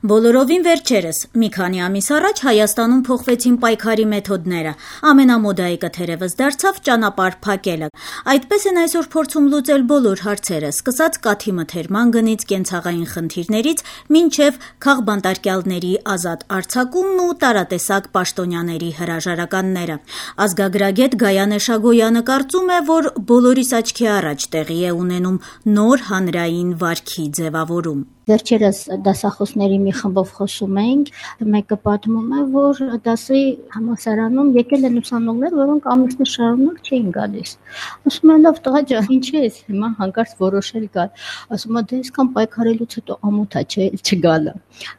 Բոլորովին վերջերս, մի քանի ամիս առաջ Հայաստանում փոխվեցին պայքարի մեթոդները, ամենամոդայիկը թերևս դարձավ ճանապարհ փակելը։ Այդպես են այսօր փորձում լուծել բոլոր հարցերը, սկսած կաթի մթերման գնից կենցաղային խնդիրներից, մինչև քաղբանտարկյալների ազատ արձակումն ու տարատեսակ պաշտոնյաների հրաժարականները։ Ազգագրագետ Գայանե Շագոյանը կարծում է, որ բոլորիս աչքի առաջ տեղի է ունենում նոր հանրային վարքի ձևավորում։ Վերջերս դասախոսների մի խմբով խոսում էինք, մեկը պատմում է, որ դասի համալսարանում եկել են ուսանողներ, որոնք ամիսներ շարունակ չէին գալիս։ Ասում են, լավ տղա ջան, ինչ է հիմա հանկարծ որոշել գալ։ Ասում է, դե այսքան պայքարելուց հետո ամոթ է, չէ, չգալը։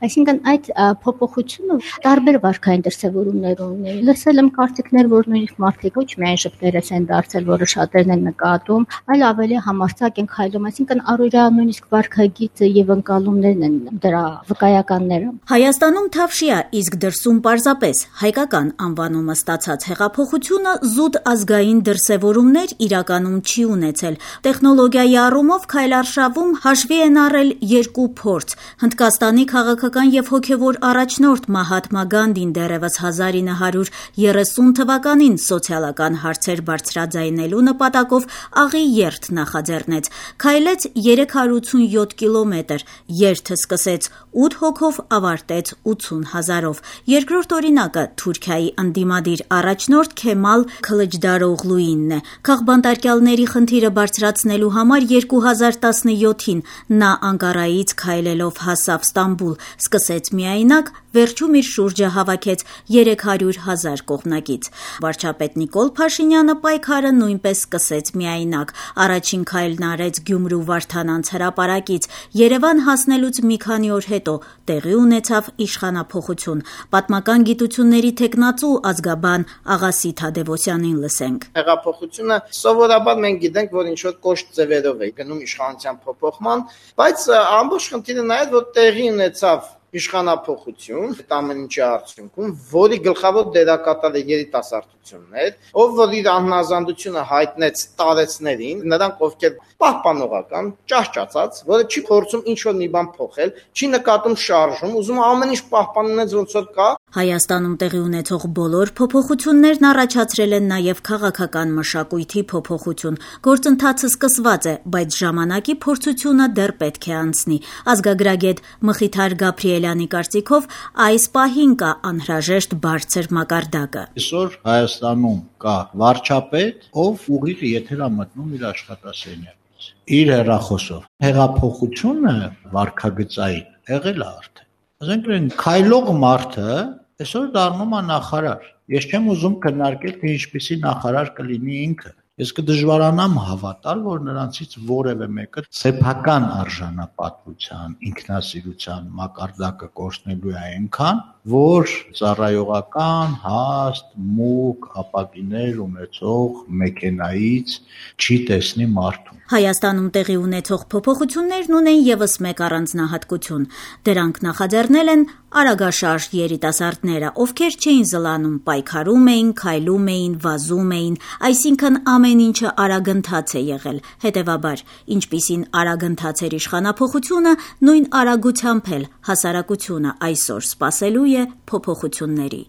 Այսինքն այդ փոփոխությունը տարբեր վարքային դրսևորումներ ունի։ Լսել եմ կարծիքներ, որ նույնիսկ մարդիկ ոչ միայն շփներես են դարձել, որը շատերն են նկատում, այլ ավելի համարձակ են քայլում, այսինքն առօրյա նույնիսկ վարքագիծը եւ ընկալումներն են դրա վկայականները։ Հայաստանում թավշյա, իսկ դրսում պարզապես հայկական անվանումը ստացած հեղափոխությունը զուտ ազգային դրսևորումներ իրականում չի ունեցել։ Տեխնոլոգիայի առումով քայլարշավում հաշվի են առել երկու փորձ։ Հնդկաստանի քաղաքական եւ հոգեվոր առաջնորդ Մահատմա Գանդին դեռևս 1930 թվականին սոցիալական հարցեր բարձրաձայնելու նպատակով աղի երթ նախաձեռնեց։ Քայլեց 387 կիլոմետր, երթը սկսեց 8 հոգով, ավարտեց 80 հազարով։ Երկրորդ օրինակը Թուրքիայի ընդդիմադիր առաջնորդ Քեմալ Քլիչդարօղլուինն է։ Քաղբանտարկյալների խնդիրը բարձրացնելու համար 2017-ին նա Անկարայից քայլելով հասավ Ստամբուլ, սկսեց միայնակ, վերջում իր շուրջը հավաքեց 300,000 կողմնակից։ Վարչապետ Նիկոլ Փաշինյանը պայքարը նույնպես սկսեց միայնակ։ Առաջին քայլն արեց Գյումրու Վարդանանց հրապարակից։ Երևան հասնելուց մի քանի օր հետո տեղի ունեցավ իշխանափոխություն։ Պատմական գիտությունների թեկնածու ազգաբան Աղասի Թադևոսյանին լսենք։ Հեղափոխությունը սովորաբար մենք գիտենք, որ ինչ-որ կոշտ ձևերով է գնում իշխանության փոփոխման, բայց ամբողջ խնդիրը նա է, որ տեղի ունեցավ իշխանափոխություն, այդ ամեն ինչի արդյունքում, որի գլխավոր դերակատարը երիտասարդությունն էր, որ իր անհնազանդությունը հայտնեց տարեցներին, նրանք ովքեր պահպանողական, ճահճացած, որը չի փորձում ինչ-որ մի բան փոխել, չի նկատում շարժում, ուզում ամեն ինչ պահպաննեց ոնց որ կա։ Հայաստանում տեղի ունեցող բոլոր փոփոխություններն առաջացրել են նաև քաղաքական մշակույթի փոփոխություն։ Գործընթացը սկսված է, բայց ժամանակի փորձությունը դեռ պետք է անցնի։ Ազգագրագետ Մխիթար Գաբրիելյանի կարծիքով այս պահին կա անհրաժեշտ բարձր մակարդակը։ Այսօր Հայաստանում կա վարչապետ, ով ուղիղ եթեր է մտնում իր աշխատասենյակից, իր հեռախոսով։ Հեղափոխությունը վարքագծային եղել է արդեն։ Ասենք քայլող մարդը այսօր դառնում է նախարար։ Ես չեմ ուզում քննարկել, թե ինչպիսի նախարար կլինի ինքը։ Ես կդժվարանամ հավատալ, որ նրանցից որևէ մեկը սեփական արժանապատվության, ինքնասիրության մակարդակը կորցնելու է այնքան, որ ծառայողական, հաստ, մուգ, ապակիներ ունեցող մեքենայից չի տեսնի մարդուն։ Հայաստանում տեղի ունեցող փոփոխություններն ունեն ևս մեկ առանձնահատկություն։ Դրանք նախաձեռնել են արագաշարժ երիտասարդները, ովքեր չէին զլանում, պայքարում էին, քայլում էին, վազում էին, այսինքն ամեն ինչը արագընթաց է եղել։ Հետևաբար, ինչպիսին արագընթաց էր իշխանափոխությունը, նույն արագությամբ էլ հասարակությունը այսօր սպասելու է փոփոխությունների։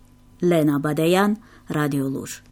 Լենա Բադեյան, Ռադիոլուր։